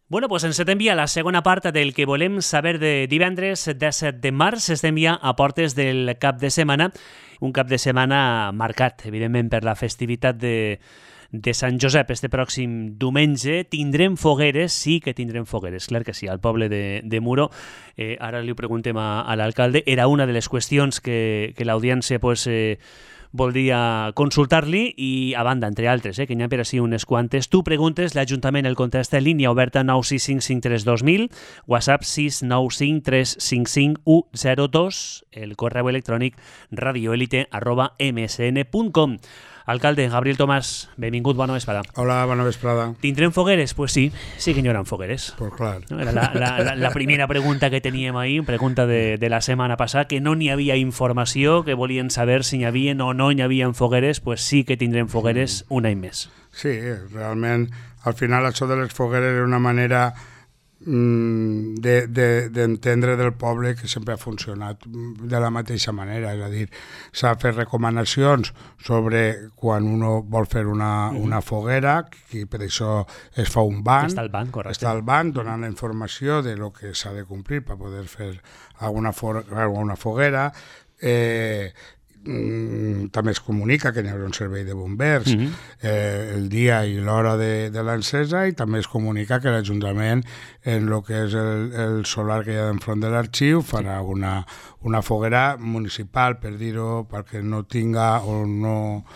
Bueno, pues ens envia la segona part del que volem saber de divendres 17 de març. Ens envia a portes del cap de setmana, un cap de setmana marcat, evidentment, per la festivitat de Sant Josep. Este pròxim diumenge tindrem fogueres, sí que tindrem fogueres, clar que sí, al poble de Muro. Ara li ho preguntem a l'alcalde. Era una de les qüestions que l'audiència voldria consultar-li i, a banda, entre altres, que n'hi ha per així unes quantes. Tu preguntes, l'Ajuntament el contesta en línia oberta 965532000, WhatsApp 695-355-102, el correu electrònic radioelite@msn.com. Alcalde, Gabriel Tomàs, benvingut, bona vesprada. Hola, bona vesprada. Tindrem fogueres? Pues sí que n'hi haurà fogueres. Pues clar. Era la primera pregunta que teníem ahir, pregunta de la setmana passada, que no n'hi havia informació, que volien saber si n'hi havia o no n'hi havia fogueres. Pues sí que tindrem fogueres un any més. Sí, realment, al final això de les fogueres era una manera d'entendre del poble que sempre ha funcionat de la mateixa manera, és a dir, s'ha fet recomanacions sobre quan uno vol fer una foguera, i per això es fa un banc, està el banc donant la informació de lo que s'ha de complir per poder fer alguna foguera. També es comunica que n'hi haurà un servei de bombers el dia i l'hora de l'encesa, i també es comunica que l'Ajuntament, en el que és el solar que hi ha enfront de l'arxiu, farà una foguera municipal, per dir-ho, perquè no tinga o no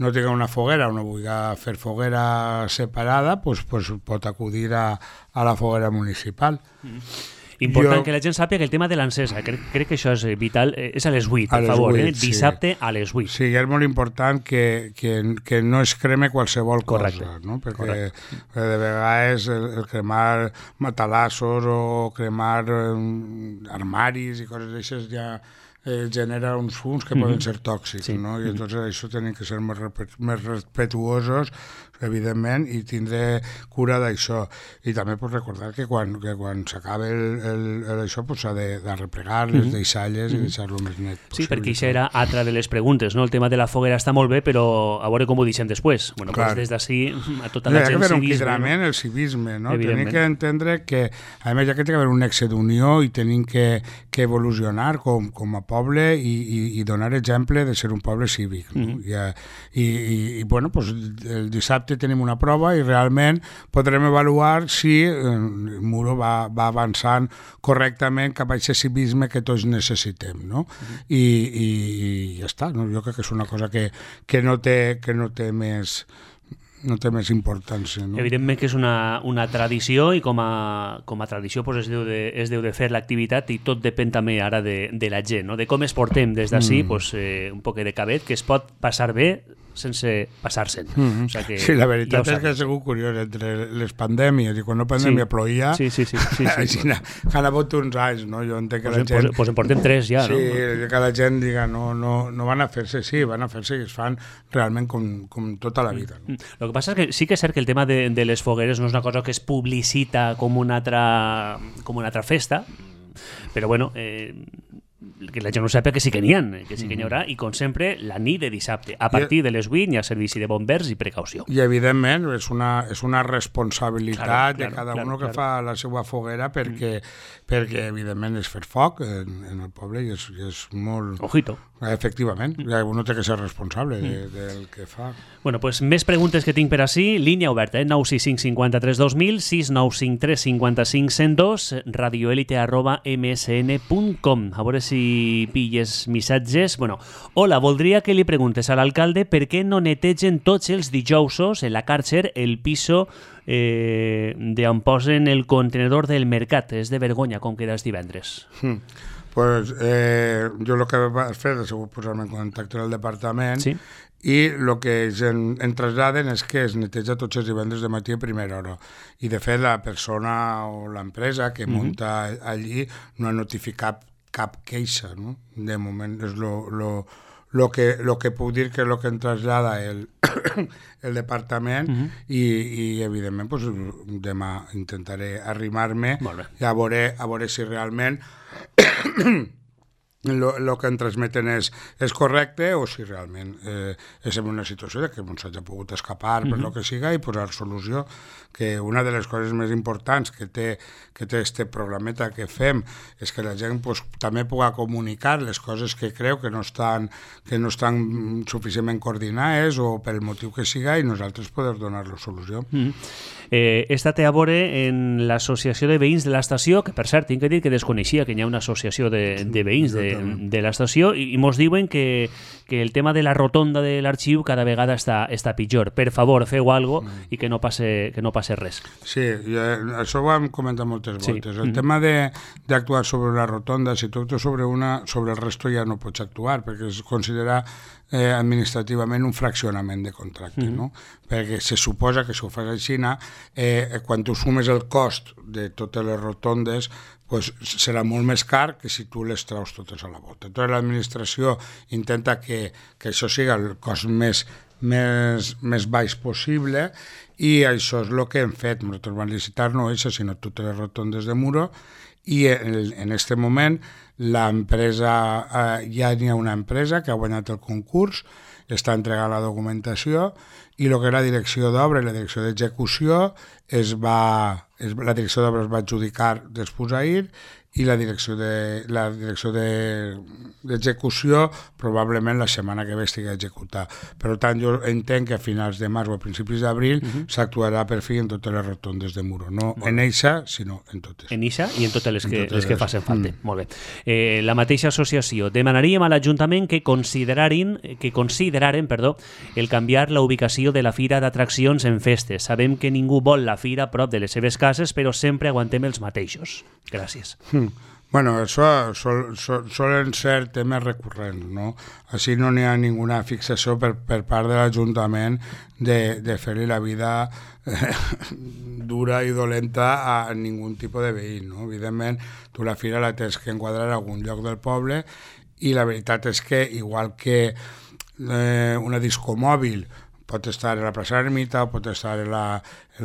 tinga una foguera o no vulgui fer foguera separada, doncs pot acudir a la foguera municipal. Important que la gent sàpiga que el tema de l'encesa, crec que això és vital, és a les 8, per favor, dissabte a les 8. Sí, és molt important que no es creme qualsevol cosa, no? Perquè de vegades el cremar matalassos o cremar armaris i coses d'aixes ja genera uns fums que poden ser tòxics, no? I llavors això tenen que ser més respetuosos, evidentment, i tindre cura d'això. I també recordar que quan s'acaba això s'ha de replegar les deixalles i deixar-lo més net possible. Sí, perquè això era altra de les preguntes, no? El tema de la foguera està molt bé, però a veure com ho deixem després. Bueno, doncs des d'ací a tota la gent civisme. Hi ha que haver un quidrament, el civisme, no? Tenim que entendre que, a més, hi ha que haver un nexe d'unió i tenim que evolucionar com a poble i donar exemple de ser un poble cívic. I bueno, el dissabte tenim una prova i realment podrem avaluar si Muro va avançant correctament cap a aquest civisme que tots necessitem, no? I ja està, no? Jo crec que és una cosa que no té més importància, no? Evidentment que és una tradició, i com a tradició es deu de fer l'activitat, i tot depèn també ara de la gent, no? De com es portem des d'ací, un poc de cabet, que es pot passar bé sense passar-se'n. O sea que, sí, la veritat és que ha sigut curiós, entre les pandèmies i quan no pandèmia ploïa, ha hagut uns anys, no? Jo entenc que la gent... Pues en portem 3 ja, no? Sí, que la gent diga, no van a fer-se, sí, van a fer-se, i es fan realment com tota la vida. No? El que passa és que sí que és cert que el tema de les fogueres no és una cosa que es publicita com una altra festa, però bueno... que la gent no sàpiga que sí que n'hi haurà, i com sempre la nit de dissabte a partir de les 8 hi ha servici de bombers i precaució, i evidentment és una responsabilitat de cada un que fa la seva foguera, perquè evidentment és fer foc en el poble i és molt... Ojito. Efectivament, uno té que ser responsable del que fa. Bueno, pues més preguntes que tinc per ací, línia oberta, 965532000, 695355102, radioelite@msn.com. A veure si pilles missatges. Bueno, hola, voldria que li preguntes a l'alcalde per què no netegen tots els dijousos en la Càrcer el piso d'on posen el contenedor del mercat. És de vergonya com queda els divendres. Pues jo el que vaig fer és posar-me en contacte amb el departament, i el que em traslladen és que es neteja tots els divendres de matí a primera hora. I de fet la persona o l'empresa que munta allí no ha notificat cap queixa, no? De moment és lo que puc dir que és el que em trasllada el departament, i evidentment demà intentaré arrimar-me i a veure si realment el que en transmeten és correcte o si realment és en una situació que no s'hagi pogut escapar per el que siga i posar solució, que una de les coses més importants que té este programeta que fem és que la gent també pugui comunicar les coses que creu que no estan suficientment coordinades o pel motiu que siga i nosaltres poder donar-los solució. He estat a veure en l'associació de veïns de l'estació, que per cert, tinc que dir que desconeixia que hi ha una associació de veïns de l'estació i mos diuen que el tema de la rotonda de l'arxiu cada vegada està pitjor. Per favor, feu alguna cosa i que no passe res. Sí, això ho hem comentat moltes voltes. El tema d'actuar sobre la rotonda, si tu actues sobre el resto ja no pots actuar, perquè es considera administrativament un fraccionament de contracte, no? Perquè se suposa que si ho fas així, quan tu sumes el cost de totes les rotondes, serà molt més car que si tu les traus totes a la volta. Tota l'administració intenta que això sigui el cost més baix possible i això és el que hem fet. Nosaltres vam licitar no això, sinó totes les rotondes de Muro i en aquest moment l'empresa, ja n'hi ha una empresa que ha guanyat el concurs, està entregant la documentació i el que és la direcció d'obra i la direcció d'execució la direcció d'obra es va adjudicar després ahir i la direcció d'execució probablement la setmana que ve estigui executada. Per tant, jo entenc que a finals de març o a principis d'abril s'actuarà per fi en totes les rotondes de Muro. No en eixa, sinó en totes. En eixa i en totes les que facin falta. Molt bé. La mateixa associació demanaríem a l'Ajuntament que consideraren el canviar la ubicació de la fira d'atraccions en festes. Sabem que ningú vol la fira a prop de les seves cases, però sempre aguantem els mateixos. Gràcies. Bueno, això solen ser temes recurrents, no? Així no n'hi ha ninguna fixació per part de l'Ajuntament de fer-li la vida dura i dolenta a ningú tipus de veí, no? Evidentment, tu la fira la tens que enquadrar a algun lloc del poble i la veritat és que, igual que una discomòbil pot estar a la plaça Ermita, pot estar a la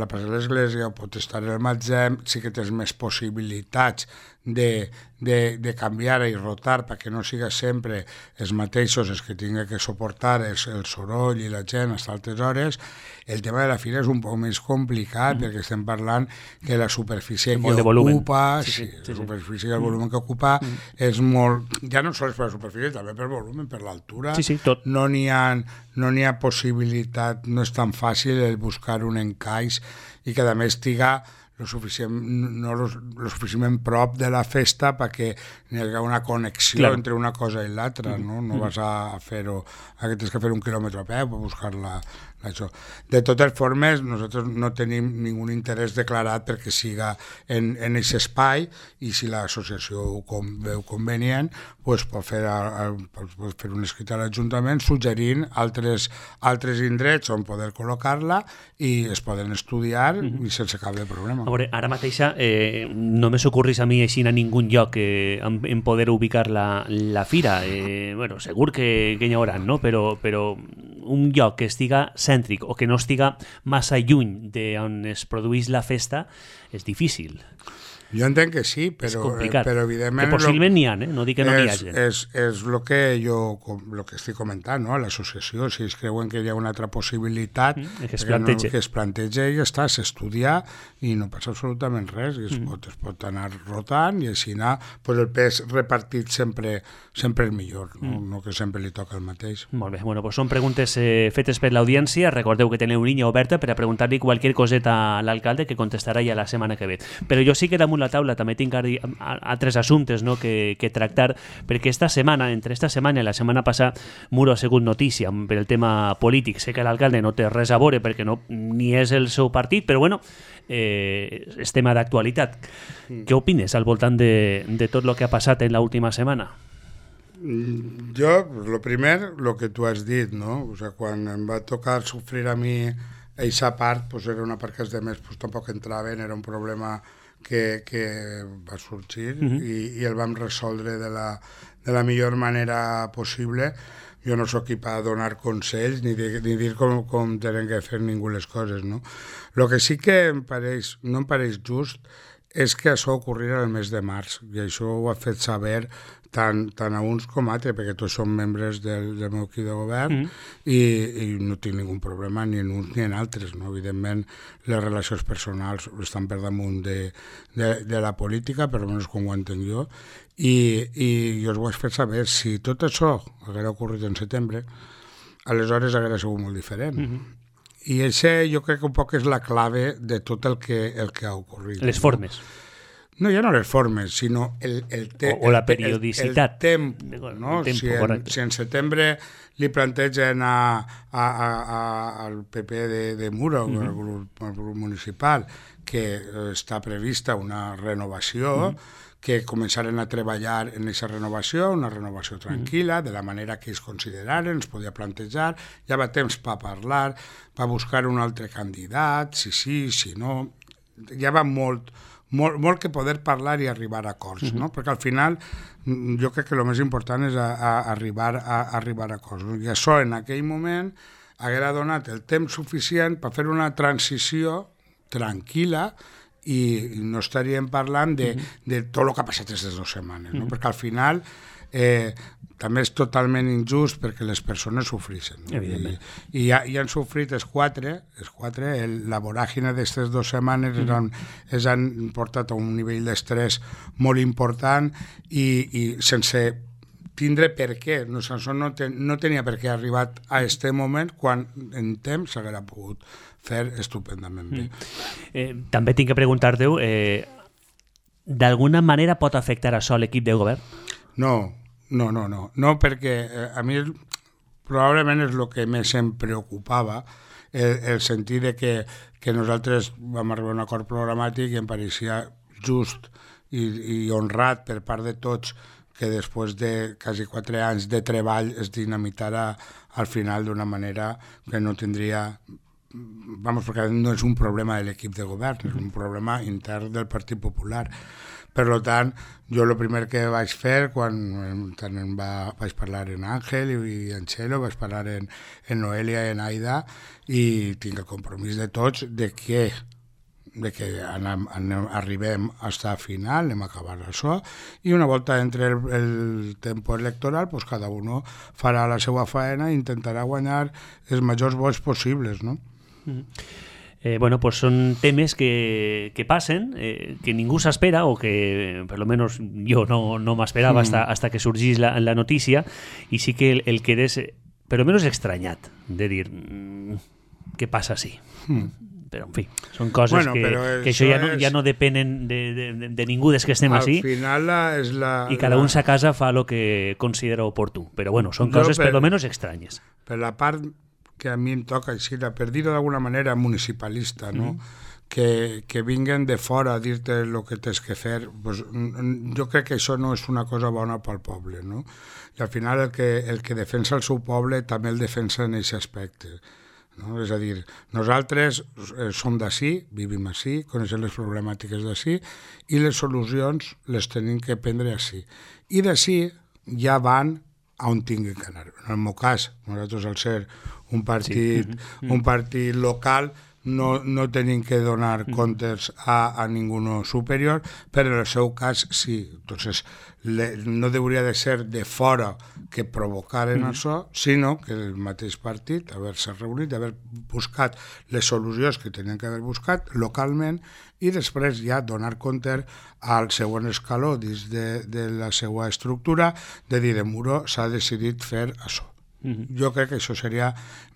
plaça de l'Església, pot estar al Matzem, sí que tens més possibilitats de canviar i rotar perquè no siga sempre els mateixos els que tingui que suportar el soroll i la gent a altes hores. El tema de la fira és un poc més complicat perquè estem parlant que la superfície que ocupa, la superfície i el volum que ocupa és molt, ja no sols per la superfície, també per volum, per l'altura. Tot. No n'hi ha possibilitat, no és tan fàcil el buscar un encaix i que a més estiga lo suficientment prop de la festa perquè hi hagi una connexió entre una cosa i l'altra, no? No vas a fer-ho, que tens que fer 1 quilòmetre a peu per buscar-la. Això. De totes formes, nosaltres no tenim ningú interès declarat perquè siga en aquest espai i si l'associació ho veu convenient, pot fer un escrit a l'Ajuntament suggerint altres indrets on poder col·locar-la i es poden estudiar i sense cap de problema. A veure, ara mateixa no me s'ocorrís a mi així a ningú lloc en poder ubicar la fira. Bueno, segur que n'hi haurà, no? Però un lloc que estiga cèntric o que no estiga massa lluny d'on es produeix la festa és difícil. Jo entenc que sí, però evidentment... Que possiblement n'hi ha, no dic que no n'hi hagi. És el que estic comentant, no? A l'associació, si es creuen que hi ha una altra possibilitat, que es planteja i ja està, s'estudia i no passa absolutament res, i es pot anar rotant i així anar, el pes repartit sempre és millor, no que sempre li toca el mateix. Molt bé, bueno, són preguntes fetes per l'audiència, recordeu que teniu línia oberta per a preguntar-li qualsevol coseta a l'alcalde que contestarà ja la setmana que ve. Però jo sí que damunt la taula també tinc altres assumptes que tractar, perquè entre esta setmana i la setmana passada Muro ha sigut notícia per el tema polític. Sé que l'alcalde no té res a veure perquè ni és el seu partit, però bueno, és tema d'actualitat. Què opines al voltant de tot el que ha passat en l'última setmana? Jo, el primer, el que tu has dit, no? O sea, quan em va tocar sofrir a mi aquesta part, era una part que els altres tampoc entraven, era un problema que va sorgir i el vam resoldre de la millor manera possible. Jo no soc qui per donar consells ni dir com tenen que fer ningú les coses, no? El que sí que no em pareix just és que això ocorrirà el mes de març, i això ho ha fet saber tant a uns com a altres, perquè tots són membres del meu equip de govern i no tinc ningú problema ni en uns ni en altres. No? Evidentment, les relacions personals estan per damunt de la política, per almenys com ho entenc jo, i jo us ho vaig fer saber. Si tot això haguera ocorrit en setembre, aleshores haguera sigut molt diferent. I això jo crec que un poc és la clave de tot el que ha ocorrit. Les formes. No, ja no les formes, sinó el o la periodicitat. El tempo, no? Si en setembre li plantegen al PP de Muro, al grup municipal, que està prevista una renovació, que començaren a treballar en aquesta renovació, una renovació tranquil·la, de la manera que ells consideraren, es podia plantejar, ja va temps per parlar, per buscar un altre candidat, si no, ja va molt que poder parlar i arribar a acords, no? Perquè al final jo crec que el més important és arribar a acords. I això en aquell moment haguera donat el temps suficient per fer una transició tranquil·la i no estaríem parlant de tot el que ha passat aquestes 2 setmanes, no? Perquè al final també és totalment injust perquè les persones sofreixen. No? I han sofrit els quatre, la voràgina d'aquestes 2 setmanes els han portat a un nivell d'estrès molt important i sense tindre per què. No tenia per què arribat a aquest moment quan en temps s'haguera pogut fer estupendament bé. També tinc que preguntar-te, d'alguna manera pot afectar això a l'equip de govern? No, perquè a mi probablement és el que més em preocupava, el sentit de que nosaltres vam arribar a un acord programàtic i em pareixia just i honrat per part de tots que després de quasi 4 anys de treball es dinamitara al final d'una manera que no tindria... perquè no és un problema de l'equip de govern, és un problema intern del Partit Popular. Per tant, jo el primer que vaig fer, quan vaig parlar en Àngel i en Txelo, vaig parlar en Noelia i en Aida, i tinc el compromís de tots de que arribem fins al final, anem a acabar això, i una volta entre el temps electoral, pues cada uno farà la seva faena i intentarà guanyar els majors vots possibles, no? Pues són temes que passen, que ningú s'espera o que per lo menos jo no m'esperava hasta que sorgís la notícia, i sí que el quedes per lo menos estranyat de dir què passa així. Però en fi, són coses que això ja no depenen de ningú des que estem així, i cada un a casa fa el que considera oportú, però bueno, són coses per lo menos estranyes. Per la part que a mi em toca així, per dir-ho d'alguna manera municipalista, no? Que vinguen de fora a dir-te el que tens que fer, pues, jo crec que això no és una cosa bona pel poble, no? I al final el que defensa el seu poble també el defensa en aquest aspecte, no? És a dir, nosaltres som d'ací, vivim ací, coneixem les problemàtiques d'ací i les solucions les tenim que prendre ací. I d'ací ja van a on tinguin que anar. En el meu cas, nosaltres al ser un partit local no tenim que donar comptes a ningú superior, però en el seu cas sí. Entonces, no hauria de ser de fora que provocaren això, sinó que el mateix partit haver-se reunit, haver buscat les solucions que tenien que haver buscat localment i després ja donar compte al següent escaló dins de la seva estructura de dir, en Muro s'ha decidit fer això. Jo crec que això seria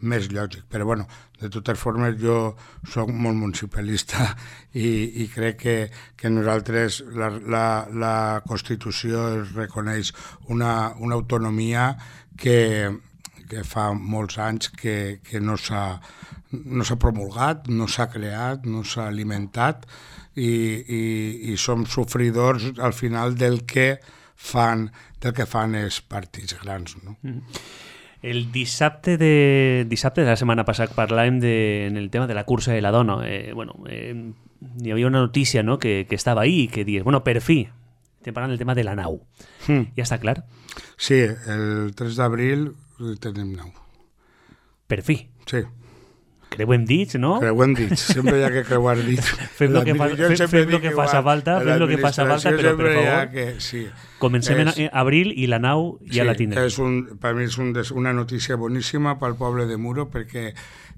més lògic, però bueno, de totes formes jo soc molt municipalista i crec que nosaltres la Constitució es reconeix una autonomia que fa molts anys que no s'ha promulgat, no s'ha creat, no s'ha alimentat i som sofridors al final del que fan els partits grans, no? El dissabte de la setmana passada parlàvem en el tema de la cursa de la dona. Hi havia una notícia, no?, que estava ahí i que dius, per fi, estem parlant del tema de la nau. Ja està clar? Sí, el 3 d'abril tenim nau. Per fi? Sí. creuem dits, no? Creuem dits, sempre hi ha que creuar dits. Fem el que faci falta, però per favor, comencem en abril i la nau ja la tindrem. Per mi és una notícia boníssima pel poble de Muro, perquè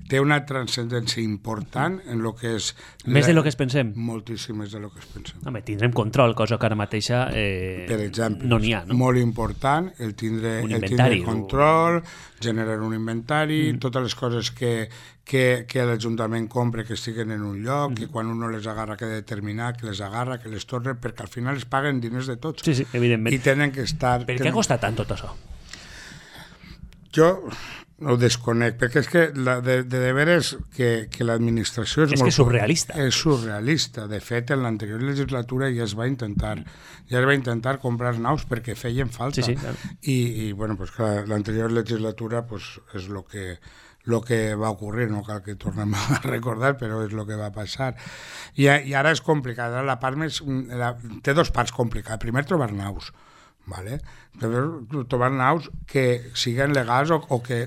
té una transcendència important en el que és... Més de lo que es pensem? Moltíssim més de lo que es pensem. Home, tindrem control, cosa que ara mateixa per exemple, no n'hi ha, no? Molt important el tindre control, generar un inventari, totes les coses que l'Ajuntament compra que estiguen en un lloc, que quan un no les agarra que determinar, que les agarra, que les torna, perquè al final es paguen diners de tots. Sí, evidentment. I tenen que estar... Per què costa tant tot això? Jo ho desconec, perquè és que de veres que l'administració és molt... És surrealista. És surrealista. De fet, en l'anterior legislatura ja es va intentar comprar naus perquè feien falta. Sí, claro. I bueno, pues clar, l'anterior legislatura pues, és lo que va ocurrir, no cal que tornem a recordar, però és el que va passar. I ara és complicat. La part més, té dos parts complicades. Primer, trobar naus. Vale? Trobar naus que siguin legals o que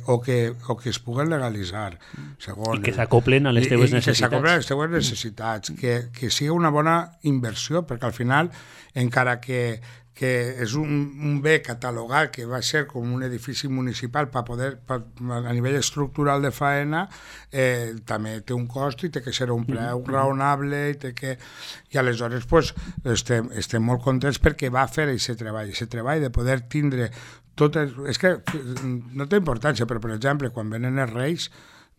es puguen legalitzar. Segon, i que s'acoplen a les teves necessitats. Que s'acoplen a les teves necessitats. Que sigui una bona inversió, perquè al final, encara que és un bé catalogat que va ser com un edifici municipal a nivell estructural de faena, també té un cost i té que ser un preu raonable i aleshores pues, estem molt contents perquè va fer aquest treball de poder tindre és que no té importància, però per exemple quan venen els Reis,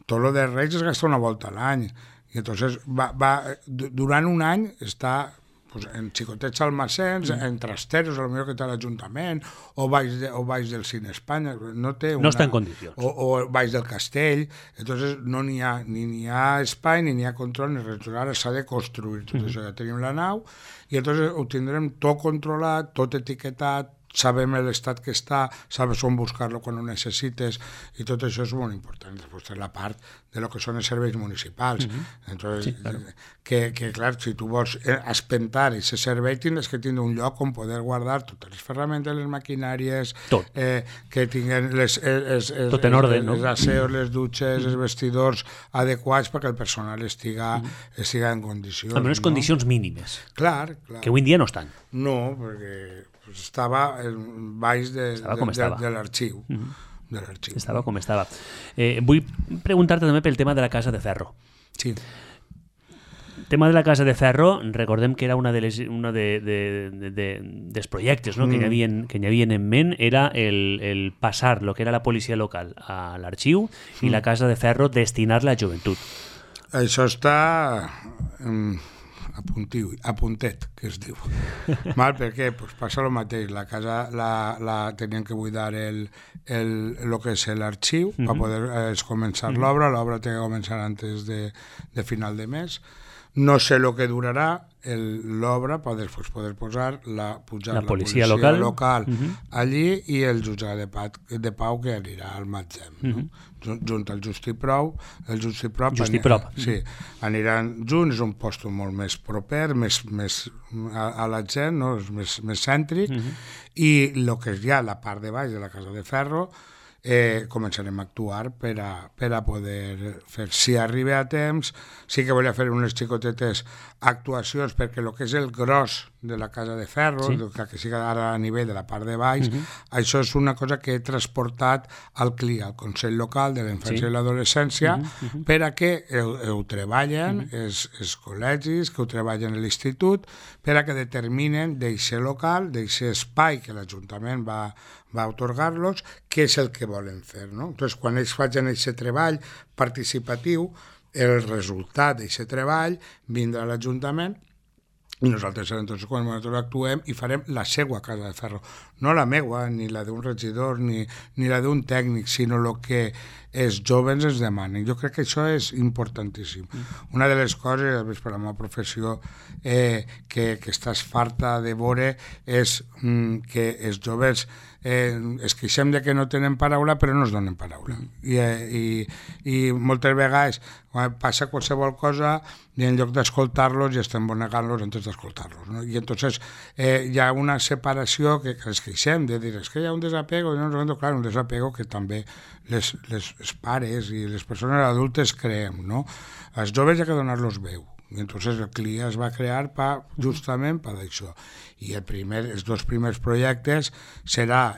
tot el dels Reis es gasta una volta a l'any i entonces durant un any està pues, en xicotets almacens, en trasteros, a lo millor que té l'Ajuntament, o baix del Cine Espanya, no està en condicions. O baix del Castell, entonces no n'hi ha espai, ni n'hi ha control, ni res. Ara s'ha de construir tot això, ja tenim la nau, i entonces ho tindrem tot controlat, tot etiquetat, sabem l'estat que està, sabes on buscar-lo quan ho necessites, i tot això és molt important. Després és la part de lo que són els serveis municipals. Entonces, sí, claro. Que clar, si tu vols espentar aquest servei, tindràs que tindre un lloc on poder guardar totes les ferramentes, les maquinàries, que tinguin tot en ordre, no? Els asseos, les dutxes, els vestidors adequats perquè el personal estiga en condicions. Almenys condicions mínimes. Clar. Que avui en dia no estan. No, perquè estava baix de l'arxiu. Estava com estava. Vull preguntar-te també pel tema de la Casa de Ferro. Sí. El tema de la Casa de Ferro, recordem que era una dels projectes, no? que hi havia en ment, era el passar el que era la policia local a l'arxiu i la Casa de Ferro destinar-la a joventut. Això està apuntet, que es diu. Mal, per què? Pues passa el mateix. La casa la tenien que buidar el que és l'arxiu per poder començar l'obra. L'obra té que començar antes de final de mes. No sé el que durarà l'obra per poder posar la policia local allí i el jutjat de pau que anirà al Matzem, no? Junt al Justiprop, sí, aniran junts, és un lloc molt més proper, més a la gent, no? És més cèntric, i el que és ja la part de baix de la Casa de Ferro començarem a actuar per a poder fer. Si arriba a temps, sí que volia fer unes xicotetes actuacions perquè el que és el gros de la Casa de Ferro, que siga ara a nivell de la part de baix, això és una cosa que he transportat al CLIA, al Consell Local de la Infància i l'Adolescència, per a que ho treballen els col·legis, que ho treballen a l'institut, per a que determinen d'aquest local, d'aquest espai que l'Ajuntament va atorgar-los, què és el que volen fer, no? Entonces, quan ells facin aquest treball participatiu, el resultat d'aquest treball vindrà a l'Ajuntament i nosaltres entonces, quan nosaltres actuem i farem la seva Casa de Ferro, no la meua, ni la d'un regidor, ni la d'un tècnic, sinó el que els joves ens demanen. Jo crec que això és importantíssim. Una de les coses, per la meva professió, que estàs farta de veure és que els joves es queixem de que no tenen paraula però no es donen paraula i moltes vegades Quan passa qualsevol cosa i en lloc d'escoltar-los ja estem negant-los antes d'escoltar-los, no? I entonces hi ha una separació que ens queixem de dir, és que hi ha un desapego, clar, un desapego que també les pares i les persones adultes creem, no? Als joves hi ha que donar-los veu. I entonces el CLIA es va crear justament per això. I els dos primers projectes serà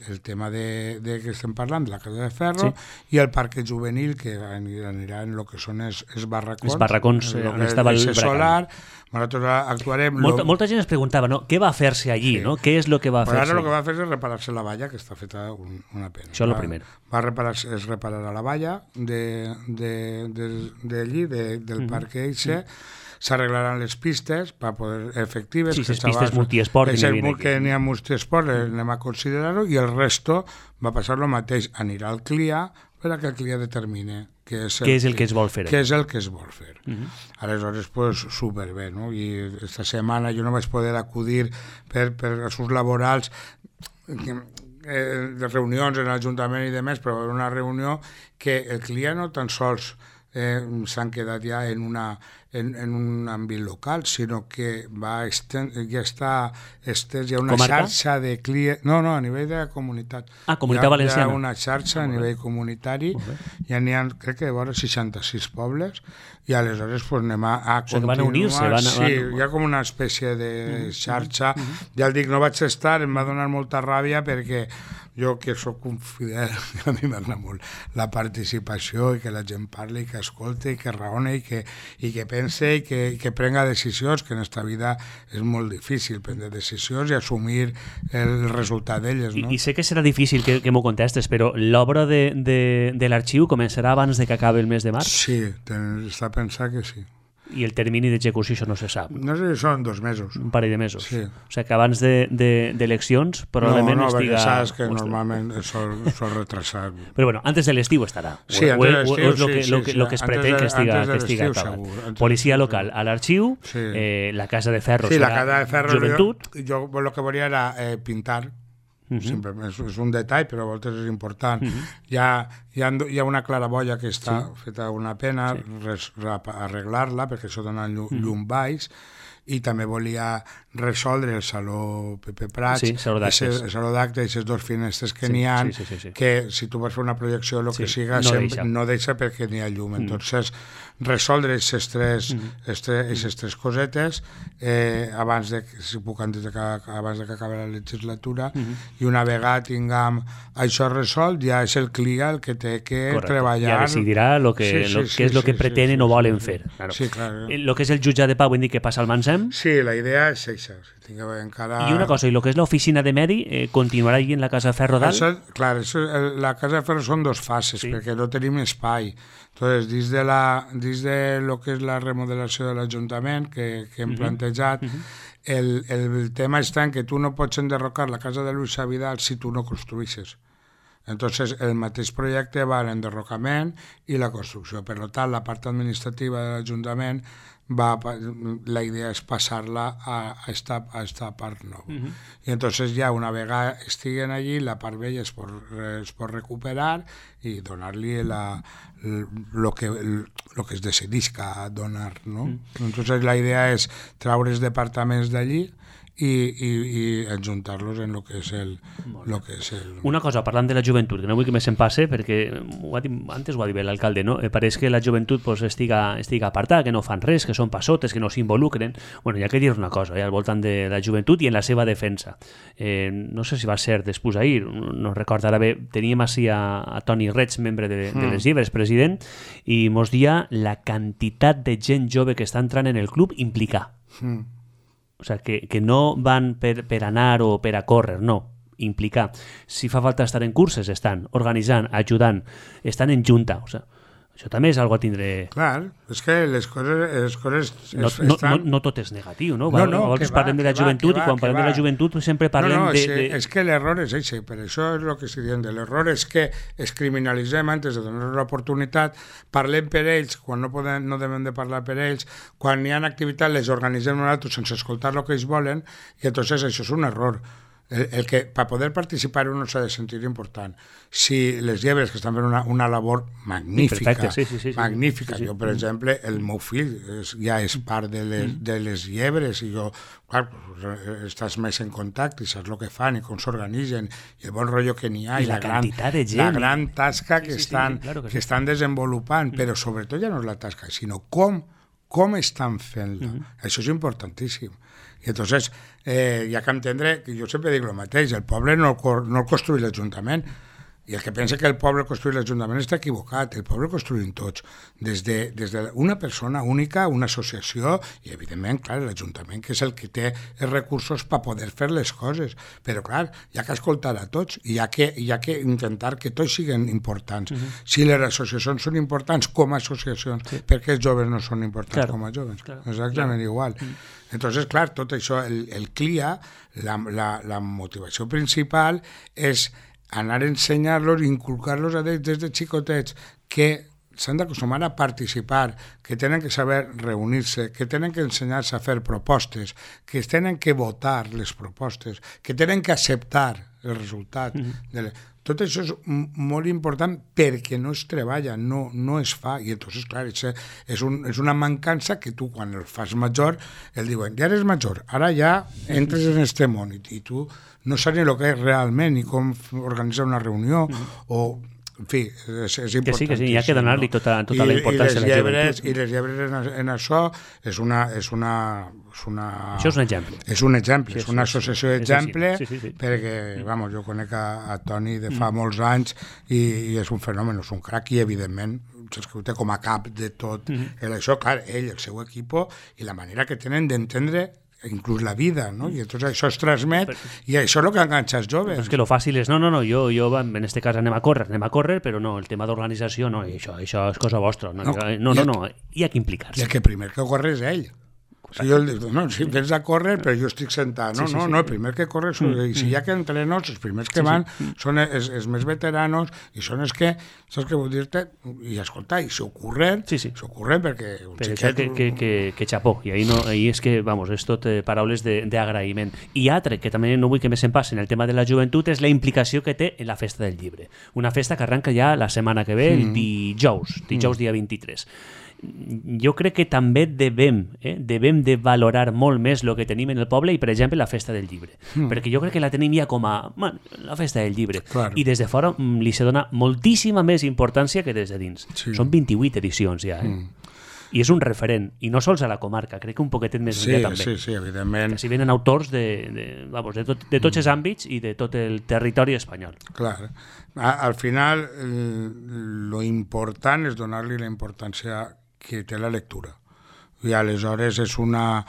el tema de que estem parlant, de la Casa de Ferro, i el parc juvenil, que anirà en el que són els barracons. Els barracons on estava el solar. Nosaltres actuarem... Molta gent es preguntava, no? Què va fer-se allí? No? Què és el que va fer-se? Ara el que va fer és reparar-se la valla, que està feta una pena. Això és el primer. Es repararà la valla d'allí, del parc Eixe, s'arreglaran les pistes per poder efectives. Sí, les pistes multiesport. Que n'hi ha multiesport, anem a considerar-ho, i el resto va passar el mateix. Anirà al CLIA per a que el CLIA determine què és el que es vol fer. Què és el que es vol fer. Aleshores, pues, superbé, no? I esta setmana jo no vaig poder acudir per assumptes laborals, de reunions en l'Ajuntament i demés, però una reunió que el CLIA no tan sols s'han quedat ja en un àmbit local, sinó que ja està estès, hi ha una xarxa de CLIA... No, a nivell de la comunitat. Comunitat valenciana. Hi ha una xarxa a nivell comunitari, ja n'hi ha, crec que vora 66 pobles, i aleshores pues, anem a continuar. Que van a unir-se. Sí, hi ha com una espècie de xarxa. Ja el dic, no vaig estar, em va donar molta ràbia perquè jo que sóc un fidel, a mi m'agrada molt la participació i que la gent parli, que escolti, que raone i que pense i que prenga decisions, que en esta vida és molt difícil prendre decisions i assumir el resultat d'elles. No? I sé que serà difícil que m'ho contestes, però l'obra de l'arxiu començarà abans de que acabi el mes de març? Sí, està pensat que sí. I el termini d'execució això no se sap? No sé si són 2 mesos. Un parell de mesos. Sí. O sigui que abans d'eleccions probablement no, estiga... No, perquè saps que normalment sol retrasar. Però bueno, antes de l'estiu estarà. Sí, antes de l'estiu, és el que es pretén que estiga acabat. Policia local a l'arxiu, la Casa de Ferro serà Joventut. Jo el que volia era pintar. Simplement és un detall, però a voltes és important. Hi ha una claraboia que està feta una pena, arreglar-la, perquè això dona llum baix, i també volia resoldre el Saló Pepe Prats, el Saló d'Actes, aquestes 2 finestres que n'hi ha, que si tu vas fer una projecció o el que siga, no deixa perquè n'hi ha llum. Entonces, resoldre aquestes 3 cosetes abans de que acabi la legislatura, i una vegada tinguem això resolt, ja és el CLIA el que té que treballar. Ja decidirà què és el que pretenen o volen fer. Sí, clar. El que és el jutjat de pau, vull dir que passa al Mansem? Sí, la idea és això. I una cosa, i el que és l'oficina de Medi continuarà allí en la Casa de Ferro dalt? Clar, la Casa de Ferro són 2 fases, perquè no tenim espai. Entonces, dins de lo que és la remodelació de l'Ajuntament que hem plantejat, el tema està en que tu no pots enderrocar la casa de Luis Vidal si tu no construïsses. Entonces, el mateix projecte va a l'enderrocament i la construcció. Per tant, la part administrativa de l'Ajuntament la idea és passar-la a esta part nova. I entonces ja una vegada estiguen allí, la part vella es pot recuperar i donar-li el que es decidisca donar, no? Entonces la idea és treure els departaments d'allí i adjuntar-los en lo que és el... Una cosa, parlant de la joventut, que no vull que més se'n passe, perquè antes ho ha dit bé l'alcalde, no? Pareix que la joventut estiga apartada, que no fan res, que són passotes, que no s'involucren. Bueno, hi ha que dir una cosa, al voltant de la joventut i en la seva defensa. No sé si va ser després ahir, no recordo ara bé, teníem així a Toni Reig, membre de les Llibres, president, i mos dia la quantitat de gent jove que està entrant en el club implicar. O sigui, que no van per anar o per a córrer, no, implicar. Si fa falta estar en curses, estan organitzant, ajudant, estan en junta. O sigui, això també és algo a tindre... Clar, és que les coses no tot és negatiu, no? A vegades parlem de la joventut i quan parlem de la joventut sempre parlem de... És que l'error és això, per això és el que estic dient. L'error és que es criminalitzem antes de donar l'oportunitat, parlem per ells quan no devem de parlar per ells, quan hi ha activitat les organitzem nosaltres sense escoltar el que ells volen, i entonces això és un error. el que per poder participar uno s'ha de sentir important. Si les llebres que estan fent una labor magnífica, magnífica. Jo, per exemple, el meu fill ja és part de les llebres i jo, clar, estàs més en contacte i saps el que fan i com s'organitzen i el bon rotllo que n'hi ha i la gran tasca que estan desenvolupant, però sobretot ja no és la tasca, sinó com estan fent-la. Això és importantíssim. I entonces hi ha que entendre, que jo sempre dic el mateix, el poble no el construï l'Ajuntament, i el que pensa que el poble construï l'Ajuntament està equivocat, el poble el construïm tots, des d'una persona única, una associació, i evidentment, clar, l'Ajuntament, que és el que té els recursos per poder fer les coses, però clar, hi ha que escoltar a tots, i hi ha que intentar que tots siguin importants. Si les associacions són importants com a associacions, per què els joves no són importants com a joves? Exactament igual. Entonces, clar, tot això, el CLIA, la motivació principal és anar a ensenyar-los, inculcar-los a ells des de xicotets que s'han d'acostumar a participar, que tenen que saber reunir-se, que tenen que ensenyar-se a fer propostes, que tenen que votar les propostes, que tenen que acceptar el resultat. Tot això és molt important perquè no es treballa, no es fa, i entonces, clar, és una mancança que tu, quan el fas major, el diuen, ja eres major, ara ja entres en este món, i tu no saps ni el que és realment, ni com organitzar una reunió, o... En fi, és important. Que sí, hi ha que donar-li tota la importància a la joventut. I les llebres en això és una... Això és un exemple. És un exemple, és una associació d'exemple, perquè, jo conec a Toni de fa molts anys i és un fenomen, és un crac, i evidentment saps que ho té com a cap de tot. Això, clar, ell, el seu equip, i la manera que tenen d'entendre inclús la vida, no? I entonces això es transmet i això és el que enganxa els joves. És que lo fàcil és, jo en este cas anem a córrer, però no, el tema d'organització, no, això és cosa vostra. No, hi ha que implicar-se. I el que primer que corre és ell. Si jo dic, si vens a córrer, però jo estic sentat. No, el primer que corre, i si hi ha que entrenos, els primers que van són els més veteranos i són els que, saps què vull dir-te? I escolta, i s'ho corren perquè un xiquet... Que xapó, i ahí és que, és tot paraules d'agraïment. I altre, que també no vull que més se'n passi en el tema de la joventut, és la implicació que té en la Festa del Llibre. Una festa que arranca ja la setmana que ve, el dijous dia 23. Jo crec que també devem de valorar molt més el que tenim en el poble i, per exemple, la Festa del Llibre. Perquè jo crec que la tenim ja com a la Festa del Llibre. Claro. I des de fora li se dona moltíssima més importància que des de dins. Són 28 edicions ja, I és un referent, i no sols a la comarca, crec que un poquetet més enllà també. Sí, evidentment. Que si venen autors de tots els àmbits i de tot el territori espanyol. Clar. Al final, lo important és donar-li la importància que té la lectura. I aleshores és una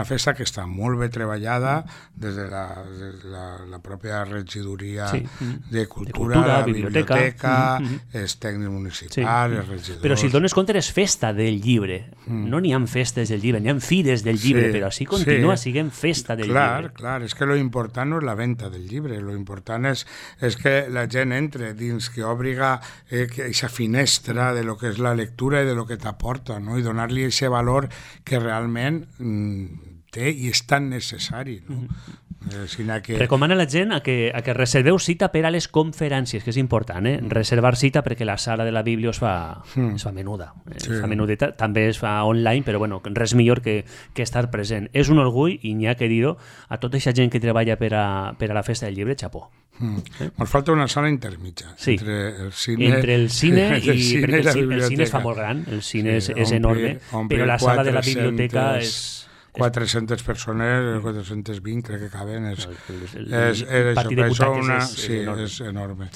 festa que està molt bé treballada des de la pròpia regidoria de cultura, la biblioteca, els tècnics municipals, els regidors... Però si et dones compte, és festa del llibre. No n'hi ha festes del llibre, n'hi ha fires del llibre, però així continua sent festa del llibre. Clar, és que lo important no és la venda del llibre, lo important és que la gent entre dins, que obriga aquesta finestra de lo que és la lectura i de lo que t'aporta, no? I donar-li aquest valor que realment té i és tan necessari, no? Recomana a la gent a que reserveu cita per a les conferències, que és important, reservar cita perquè la sala de la Bíblia es fa menuda, es fa menudeta, també es fa online, però res millor que estar present. És un orgull, i n'hi ha que dir-ho, a tota aquesta gent que treballa per a la Festa del Llibre, xapó. Ens falta una sala intermitja entre el cine i perquè el cine es fa molt gran, el cine és enorme, però la sala de la biblioteca és... 400 persones, 420 crec que caben, és enorme.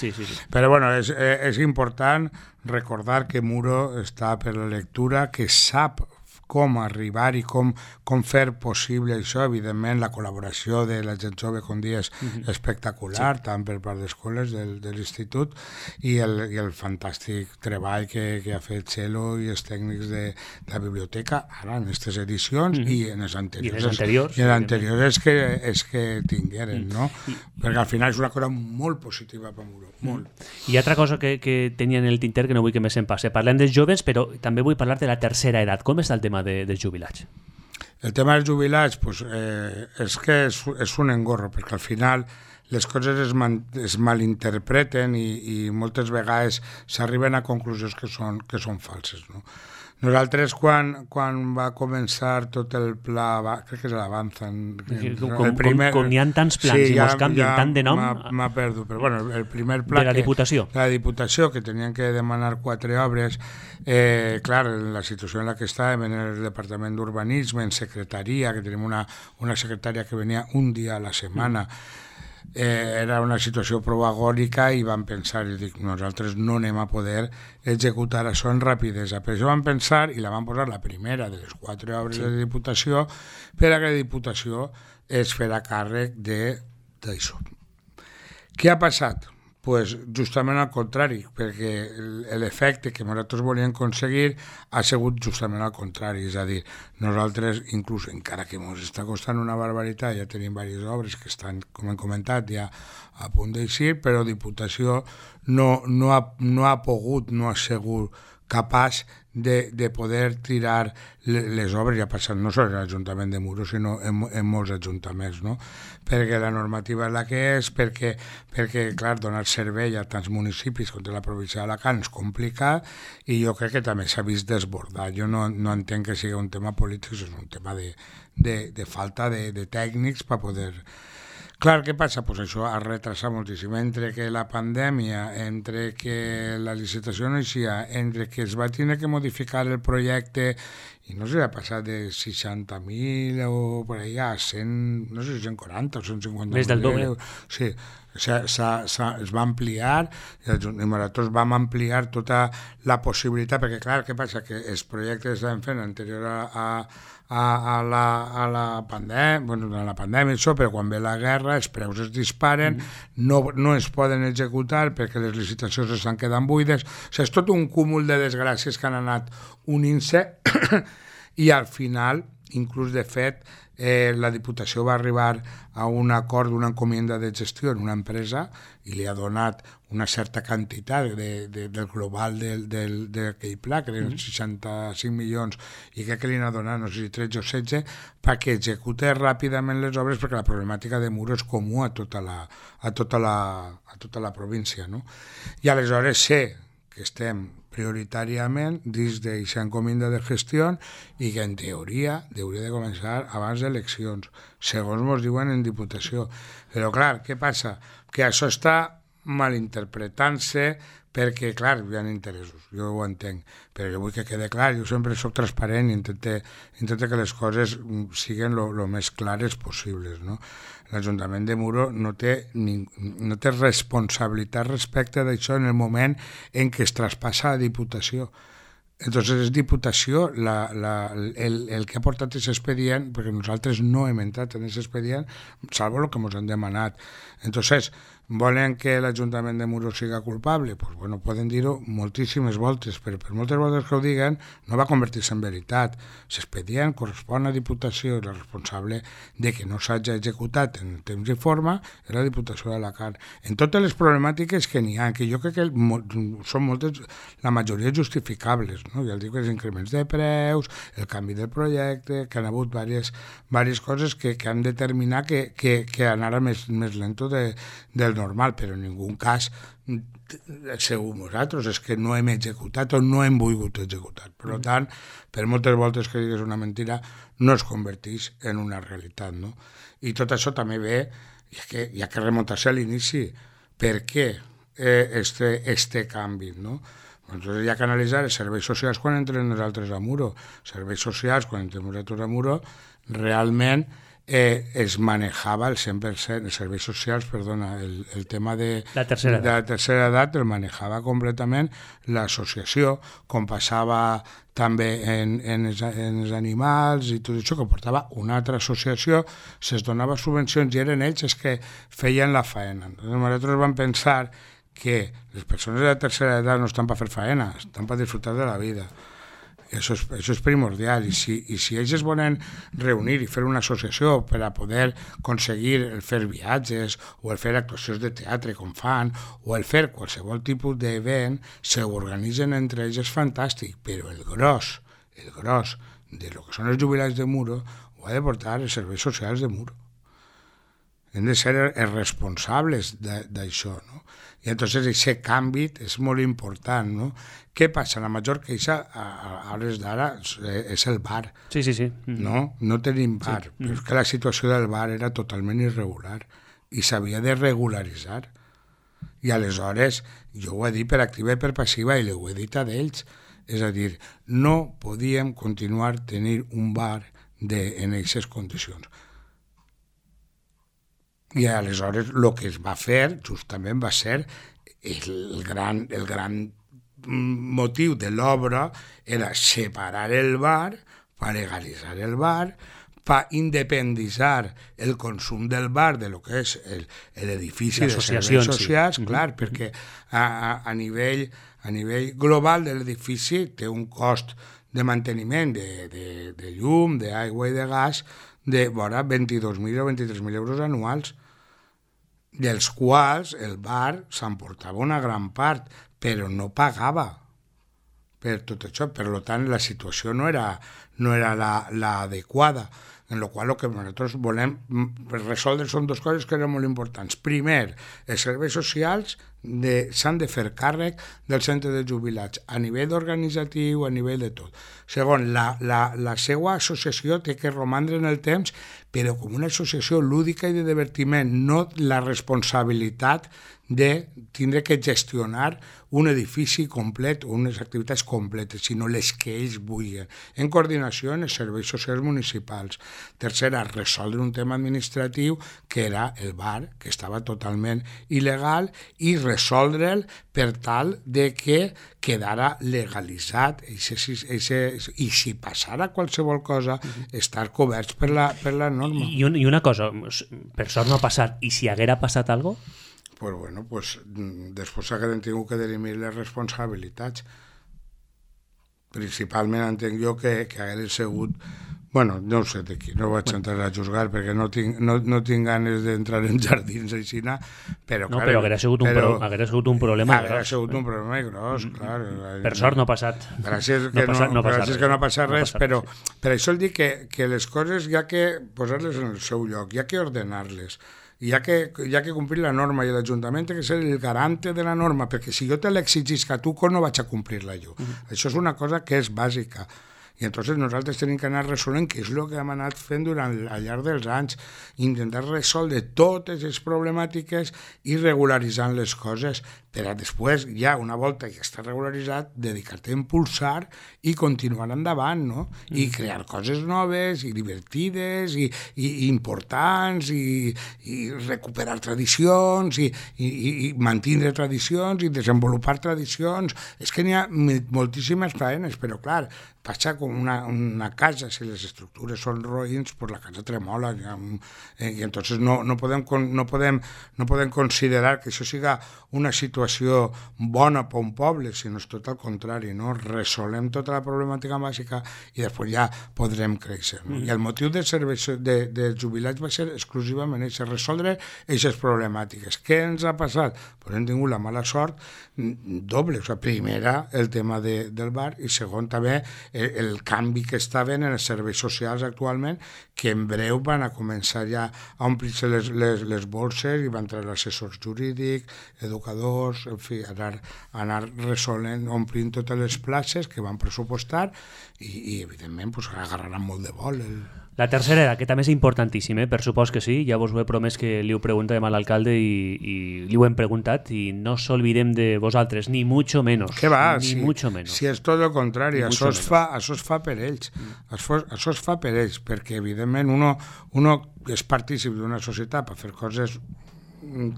Però és important recordar que Muro està per la lectura, que sap com arribar i com fer possible això. Evidentment, la col·laboració de la gent jove, com dius, és espectacular, tant per part d'escoles de l'institut, i el fantàstic treball que ha fet Txelo i els tècnics de la biblioteca, ara en aquestes edicions i en les anteriors. I en les anteriors és que tingueren, no? Perquè al final és una cosa molt positiva per Muro, molt. I altra cosa que tenia en el tinter, que no vull que més se'n passe. Parlem dels joves, però també vull parlar de la tercera edat. Com està el tema dels jubilats? El tema dels jubilats és que és un engorro, perquè al final les coses es malinterpreten i moltes vegades s'arriben a conclusions que són falses, no? Nosaltres, quan va començar tot el pla, crec que és l'Avanza... Com hi ha tants plans i molts canvien tant de nom... M'ha perdut, però bueno, el primer pla... De la Diputació. De la Diputació, que tenien que demanar 4 obres, clar, en la situació en la que estàvem, en el Departament d'Urbanisme, en secretaria, que tenim una secretària que venia un dia a la setmana, era una situació prou agònica i vam pensar, i dic, nosaltres no anem a poder executar això en rapidesa. Per això vam pensar, i la vam posar la primera de les 4 obres de Diputació, per a que la Diputació es farà càrrec d'això. Què ha passat? Pues justament al contrari, perquè l'efecte que nosaltres volíem aconseguir ha sigut justament al contrari, és a dir, nosaltres, inclús encara que ens està costant una barbaritat, ja tenim diverses obres que estan, com hem comentat, ja a punt d'eixir, però Diputació no ha pogut, no ha sigut capaç de poder tirar les obres, ja passant no sols a l'Ajuntament de Muro, sinó en molts ajuntaments, no? Perquè la normativa és la que és, perquè clar, donar servei a tants municipis com la província d'Alacant és complicat i jo crec que també s'ha vist desbordat. Jo no entenc que sigui un tema polític, és un tema de falta de tècnics per poder... Clar, què passa? Pues això ha retrasat moltíssim. Entre que la pandèmia, entre que la licitació no eixia, entre que es va tenir que modificar el projecte i no sé, ha passat de 60.000 o per allà a 100, no sé, 140 o 150.000. Més del doble. Sí, es va ampliar i nosaltres vam ampliar tota la possibilitat, perquè clar, què passa? Que els projectes que estàvem fent anterior a la pandèmia, això, però quan ve la guerra els preus es disparen, no es poden executar perquè les licitacions estan quedant buides, o sigui, és tot un cúmul de desgràcies que han anat unint-se i al final, inclús de fet, la Diputació va arribar a un acord d'una encomienda de gestió en una empresa i li ha donat una certa quantitat del global d'aquell pla, que eren 65 milions, i crec que li ha donat, no sé si 13 o 16, perquè execute ràpidament les obres, perquè la problemàtica de Muro és comú a tota la província, no? I aleshores sé que estem prioritàriament dins d'aquesta encomienda de gestió i que en teoria hauria de començar abans d'eleccions, segons ens diuen en Diputació. Però clar, què passa? Que això està malinterpretant-se perquè, clar, hi ha interessos, jo ho entenc, però jo vull que quede clar, jo sempre soc transparent i intento que les coses siguin lo més clares possibles, no? L'Ajuntament de Muro no té responsabilitat respecte d'això en el moment en què es traspassa a Diputació. Entonces és Diputació el que ha portat aquest expedient, perquè nosaltres no hem entrat en aquest expedient, salvo el que ens han demanat. Entonces, volen que l'Ajuntament de Muro siga culpable? Pues bueno, poden dir-ho moltíssimes voltes, però per moltes voltes que ho diguen no va convertir-se en veritat. L'expedient correspon a Diputació i la responsable de que no s'hagi executat en temps i forma és la Diputació d'Alacant. En totes les problemàtiques que n'hi ha, que jo crec que són moltes, la majoria justificables, no? Ja dic que els increments de preus, el canvi del projecte, que han hagut diverses coses que han determinat que anara més lento del normal, però en ningú cas segur nosaltres és que no hem executat o no hem volgut executar. Per tant, per moltes voltes que digues una mentira, no es converteix en una realitat, no? I tot això també ve, hi ha que remuntar-se a l'inici. Per què este canvi, no? Entonces hi ha que analitzar els serveis socials quan entrem nosaltres a Muro. Serveis socials, quan entrem nosaltres a Muro, realment es manejava el 100%, els serveis socials, perdona, el tema de la tercera edat el manejava completament l'associació, com passava també en els animals i tot això, que portava una altra associació, se'ls donava subvencions i eren ells els que feien la faena. Nosaltres vam pensar que les persones de la tercera edat no estan per fer faena, estan per disfrutar de la vida. Això és primordial, i si ells es volen reunir i fer una associació per a poder aconseguir el fer viatges o el fer actuacions de teatre com fan o el fer qualsevol tipus d'event, s'organitzen entre ells, és fantàstic, però el gros de lo que són els jubilats de Muro ho ha de portar els serveis socials de Muro. Hem de ser els responsables d'això, no? I entonces aquest canvi és molt important, no? Què passa? La major queixa a hores d'ara és el bar. Sí. No tenim bar, però és que la situació del bar era totalment irregular i s'havia de regularitzar. I aleshores, jo ho he dit per activa i per passiva i ho he dit a d'ells, és a dir, no podíem continuar tenir un bar en aquestes condicions. I aleshores el que es va fer justament va ser el gran motiu de l'obra era separar el bar, per legalitzar el bar, per independitzar el consum del bar de lo que és l'edifici de serveis socials, clar, perquè a nivell global de l'edifici té un cost de manteniment de llum, d'aigua i de gas de vora 22.000 o 23.000 euros anuals, dels quals el bar s'emportava una gran part, però no pagava per tot això. Per tant, la situació no era l'adequada, en la qual el que nosaltres volem resoldre són dues coses que eren molt importants. Primer, els serveis socials s'han de fer càrrec del centre de jubilats, a nivell organitzatiu, a nivell de tot. Segon, la seva associació té que romandre en el temps, però com una associació lúdica i de divertiment, no la responsabilitat de tindre que gestionar un edifici complet o unes activitats completes, sinó les que ells vulguin, en coordinació amb els serveis socials municipals. Tercera, resoldre un tema administratiu que era el bar, que estava totalment il·legal, i resoldre'l per tal de que quedara legalitzat i si passara qualsevol cosa, estar coberts per la norma. I una cosa, per sort no ha passat, i si haguera passat alguna cosa? Pues bueno, després s'hagueren tingut que dirimir les responsabilitats. Principalment entenc jo que hagueren sigut... Bueno, no ho sé d'aquí, no vaig entrar a juzgar perquè no tinc ganes d'entrar en jardins així, però... No, però haguera sigut un problema gros. Haguera sigut un problema gros, clar. Per sort no ha passat. Gràcies que no ha passat res, però per això el dic que les coses hi ha que posar-les en el seu lloc, hi ha que ordenar-les. Hi ha que complir la norma i l'Ajuntament té que ser el garante de la norma, perquè si jo te l'exigisc a tu, no vaig a complir-la jo. Això és una cosa que és bàsica. I entonces nosaltres tenim que anar resolent, que és el que hem anat fent al llarg dels anys, intentar resoldre totes les problemàtiques i regularitzant les coses, per a després, ja una volta que està regularitzat, dedicar-te a impulsar i continuar endavant, no? I crear coses noves i divertides i importants i recuperar tradicions i mantindre tradicions i desenvolupar tradicions. És que n'hi ha moltíssimes faenes, però clar, passa com una casa, si les estructures són roïns, pues la casa tremola i entonces no podem considerar que això siga una situació bona per un poble, sinó és tot el contrari, no? Resolem tota la problemàtica bàsica i després ja podrem créixer, no? I el motiu dels serveis de jubilats va ser exclusivament això, resoldre aquestes problemàtiques. Què ens ha passat? Pues hem tingut la mala sort doble, o sigui, primera el tema del bar i segon també el canvi que estaven en els serveis socials actualment, que en breu van a començar ja a omplir-se les bolses i van entrar l'assessors jurídic, educadors, en fi, anar resolent, omplint totes les places que van pressupostar i evidentment, pues, agarraran molt de vol. La tercera, que també és importantíssim, per supòs que sí, ja vos ho he promès que li ho preguntem a l'alcalde i li ho hem preguntat i no s'olvidem de vosaltres, ni mucho menos. Què va? Mucho menos. Si és tot el contrari, això es fa per ells. Això es fa per ells, perquè evidentment uno és partícip d'una societat per fer coses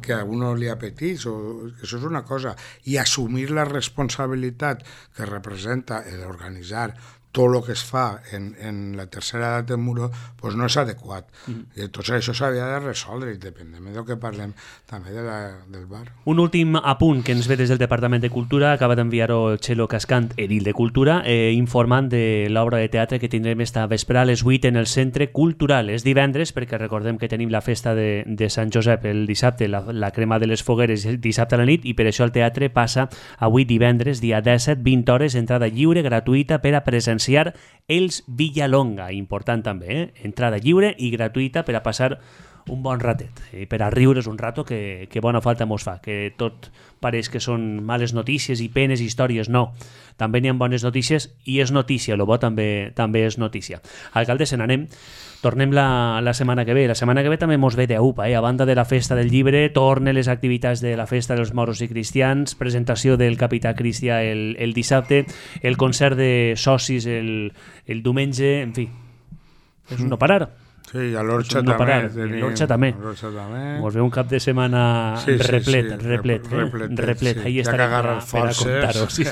que a uno li apeteix, això és una cosa, i assumir la responsabilitat que representa l'organitzar tot el que es fa en la tercera edat de Muro, pues no és adequat. I tot això s'havia de resoldre, independentment del que parlem també del bar. Un últim apunt que ens ve des del Departament de Cultura, acaba d'enviar-ho el Txelo Cascant, edil de Cultura, informant de l'obra de teatre que tindrem esta vespre a les 8 en el Centre Cultural. És divendres, perquè recordem que tenim la festa de Sant Josep el dissabte, la crema de les fogueres el dissabte a la nit, i per això el teatre passa avui divendres, dia 17, 20 hores, entrada lliure, gratuïta per a presenciar apreciar els Villalonga, important també, entrada lliure i gratuïta per a passar un bon ratet, per a riure's un rato que bona falta mos fa, que tot pareix que són males notícies i penes i històries, no. També n'hi ha bones notícies i és notícia, el bo també és notícia. Alcalde, se n'anem. Tornem la setmana que ve. La setmana que ve també mos ve d'UPA, a banda de la festa del llibre, tornen les activitats de la festa dels moros i cristians, presentació del Capità Cristià el dissabte, el concert de socis el diumenge, en fi, és un no parar. Sí, a l'Orxa també. L'Orxa també. Mos ve un cap de setmana replet. Ahí estarem per a contar-ho. Sí,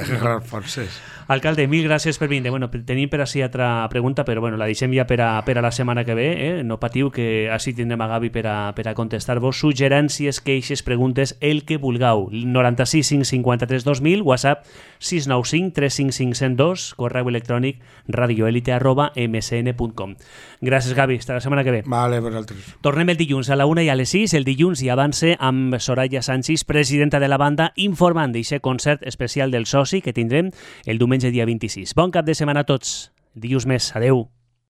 forces. Alcalde, mil gràcies per vindre. Bueno, tenim per així altra pregunta, però bueno, la deixem ja per a la setmana que ve. No patiu, que així tindrem a Gavi per a contestar-vos suggerències, queixes, preguntes, el que vulgueu. 96 553 2000, WhatsApp 695 355 102, correu electrònic radioelite@msn.com. Gràcies, Gavi. Fins la setmana que ve. Vale, vosaltres. Tornem el dilluns a la 1 i a les 6. El dilluns i avance amb Soraya Sánchez, presidenta de la banda, informant d'aquest concert especial del soci que tindrem el diumenge dia 26. Bon cap de setmana a tots. Dilluns més. Adeu.